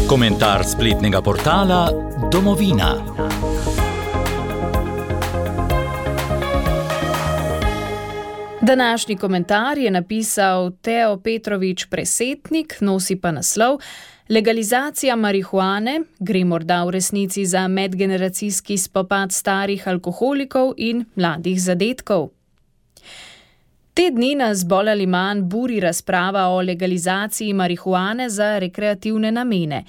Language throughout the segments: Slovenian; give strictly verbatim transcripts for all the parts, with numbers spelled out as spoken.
Komentar spletnega portala Domovina. Današnji komentar je napisal Teo Petrovič Presetnik, nosi pa naslov Legalizacija marihuane gre morda v resnici za medgeneracijski spopad starih alkoholikov in mladih zadetkov. Te dni nas bolj ali manj buri razprava o legalizaciji marihuane za rekreativne namene.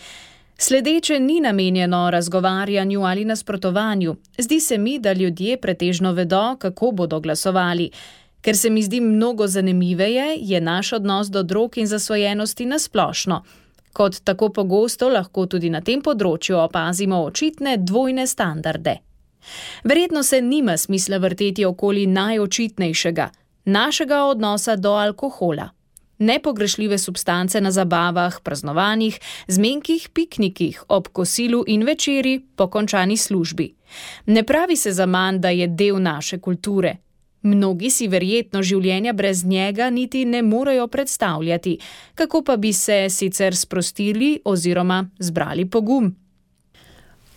Sledeče ni namenjeno razgovarjanju ali nasprotovanju. Zdi se mi, da ljudje pretežno vedo, kako bodo glasovali. Ker se mi zdi mnogo zanimiveje, je naš odnos do drog in zasvojenosti nasplošno. Kot tako pogosto lahko tudi na tem področju opazimo očitne dvojne standarde. Verjetno se nima smisla vrteti okoli najočitnejšega, našega odnosa do alkohola. Nepogrešljive substance na zabavah, praznovanjih, zmenkih, piknikih, ob kosilu in večeri po končani službi. Ne pravi se zaman, da je del naše kulture. Mnogi si verjetno življenja brez njega niti ne morejo predstavljati, kako pa bi se sicer sprostili oziroma zbrali pogum.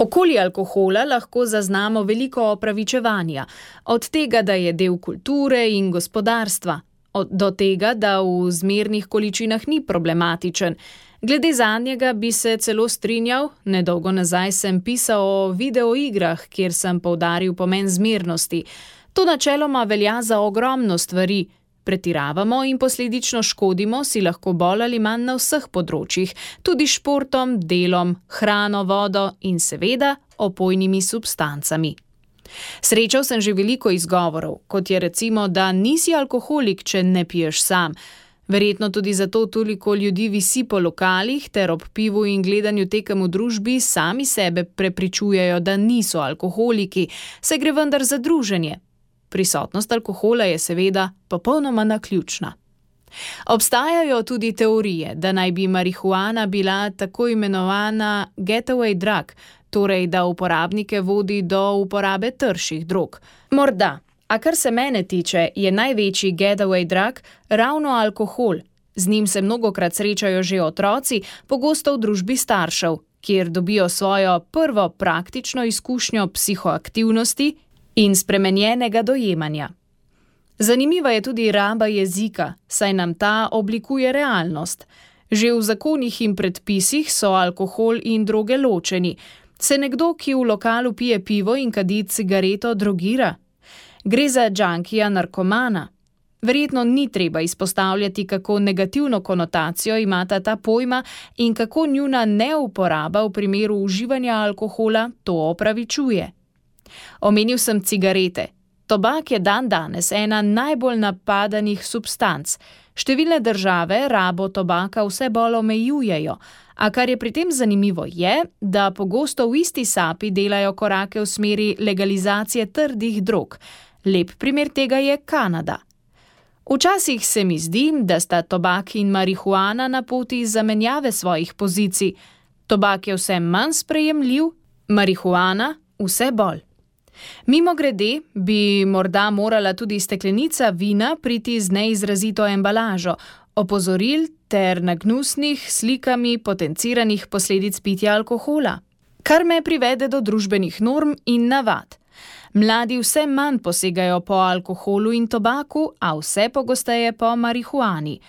Okoli alkohola lahko zaznamo veliko opravičevanja, od tega, da je del kulture in gospodarstva, od, do tega, da v zmernih količinah ni problematičen. Glede zadnjega bi se celo strinjal, nedolgo nazaj sem pisal o videoigrah, kjer sem poudaril pomen zmernosti. To načeloma velja za ogromno stvari. Pretiravamo in posledično škodimo si lahko bolj ali manj na vseh področjih, tudi športom, delom, hrano, vodo in seveda opojnimi substancami. Srečal sem že veliko izgovorov, kot je recimo, da nisi alkoholik, če ne piješ sam. Verjetno tudi zato toliko ljudi visi po lokalih ter ob pivu in gledanju tekem v družbi sami sebe prepričujejo, da niso alkoholiki, saj gre vendar za druženje. Prisotnost alkohola je seveda popolnoma naključna. Obstajajo tudi teorije, da naj bi marihuana bila tako imenovana getaway drug, torej da uporabnike vodi do uporabe trših drog. Morda, a kar se mene tiče, je največji getaway drug ravno alkohol. Z njim se mnogokrat srečajo že otroci, pogosto v družbi staršev, kjer dobijo svojo prvo praktično izkušnjo psihoaktivnosti in spremenjenega dojemanja. Zanimiva je tudi raba jezika, saj nam ta oblikuje realnost. Že v zakonih in predpisih so alkohol in droge ločeni. Se nekdo, ki v lokalu pije pivo in kadi cigareto, drogira? Gre za džankija narkomana. Verjetno ni treba izpostavljati, kako negativno konotacijo imata ta pojma in kako njuna neuporaba v primeru uživanja alkohola to opravičuje. Omenil sem cigarete. Tobak je dandanes ena najbolj napadanih substanc. Številne države rabo tobaka vse bolj omejujejo, a kar je pri tem zanimivo je, da pogosto v isti sapi delajo korake v smeri legalizacije trdih drog. Lep primer tega je Kanada. Včasih se mi zdi, da sta tobak in marihuana na poti zamenjave svojih pozicij. Tobak je vse manj sprejemljiv, marihuana vse bolj. Mimogrede bi morda morala tudi steklenica vina priti z neizrazito embalažo, opozoril ter nagnusnih slikami potenciranih posledic pitja alkohola, kar me privede do družbenih norm in navad. Mladi vse manj posegajo po alkoholu in tobaku, a vse pogosteje po marihuani.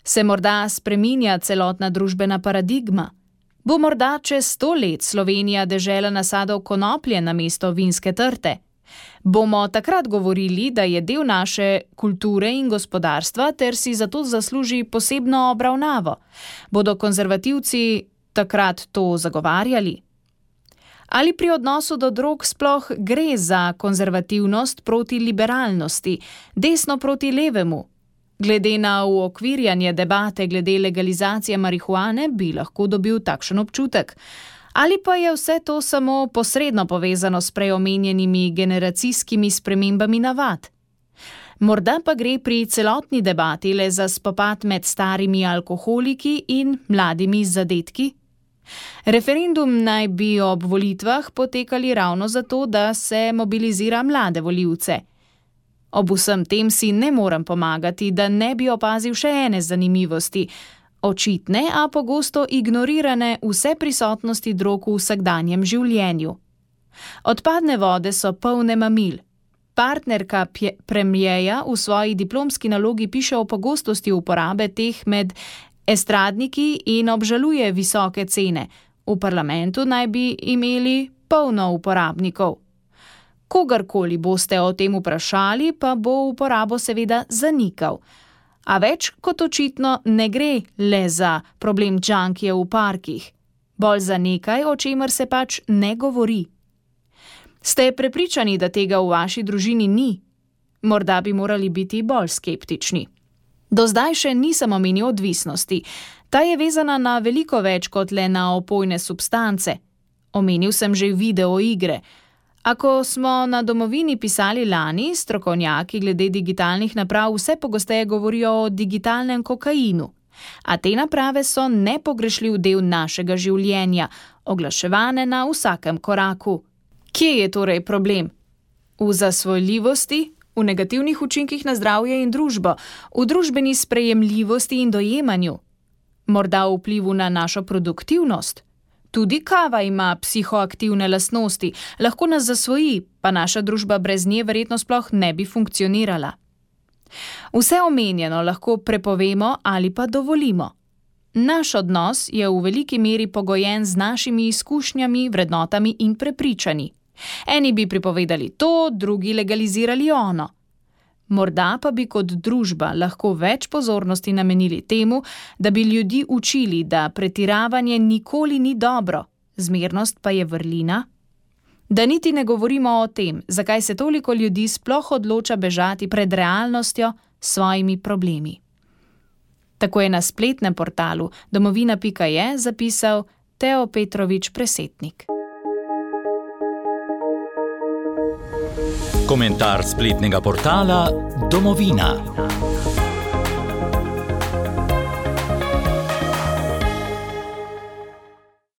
Se morda spreminja celotna družbena paradigma? Bo morda čez sto let Slovenija dežela nasadov konoplje namesto vinske trte? Bomo takrat govorili, da je del naše kulture in gospodarstva ter si zato zasluži posebno obravnavo? Bodo konzervativci takrat to zagovarjali? Ali pri odnosu do drog sploh gre za konzervativnost proti liberalnosti, desno proti levemu? Glede na uokvirjanje debate glede legalizacije marihuane bi lahko dobil takšen občutek. Ali pa je vse to samo posredno povezano s prej omenjenimi generacijskimi spremembami navad? Morda pa gre pri celotni debati le za spopad med starimi alkoholiki in mladimi zadetki? Referendum naj bi ob volitvah potekali ravno zato, da se mobilizira mlade volivce. Ob vsem tem si ne morem pomagati, da ne bi opazil še ene zanimivosti. Očitne, a pogosto ignorirane vse prisotnosti drog v vsakdanjem življenju. Odpadne vode so polne mamil. Partnerka premierja v svoji diplomski nalogi piše o pogostosti uporabe teh med estradniki in obžaluje visoke cene. V parlamentu naj bi imeli polno uporabnikov. Kogarkoli boste o tem vprašali, pa bo uporabo seveda zanikal. A več kot očitno ne gre le za problem džankijev v parkih, bolj za nekaj, o čemer se pač ne govori. Ste prepričani, da tega v vaši družini ni? Morda bi morali biti bolj skeptični. Do zdaj še nisem omenil odvisnosti. Ta je vezana na veliko več kot le na opojne substance. Omenil sem že videoigre. Ako smo na Domovini pisali lani, strokovnjaki glede digitalnih naprav vse pogosteje govorijo o digitalnem kokainu. A te naprave so nepogrešljiv del našega življenja, oglaševane na vsakem koraku. Kje je torej problem? V zasvojljivosti, v negativnih učinkih na zdravje in družbo, v družbeni sprejemljivosti in dojemanju? Morda v vplivu na našo produktivnost? Tudi kava ima psihoaktivne lastnosti, lahko nas zasvoji, pa naša družba brez nje verjetno sploh ne bi funkcionirala. Vse omenjeno lahko prepovemo ali pa dovolimo. Naš odnos je v veliki meri pogojen z našimi izkušnjami, vrednotami in prepričanji. Eni bi pripovedali to, drugi legalizirali ono. Morda pa bi kot družba lahko več pozornosti namenili temu, da bi ljudi učili, da pretiravanje nikoli ni dobro, zmernost pa je vrlina. Da niti ne govorimo o tem, zakaj se toliko ljudi sploh odloča bežati pred realnostjo s svojimi problemi. Tako je na spletnem portalu domovina pika je zapisal Teo Petrovič Presetnik. Komentar spletnega portala Domovina.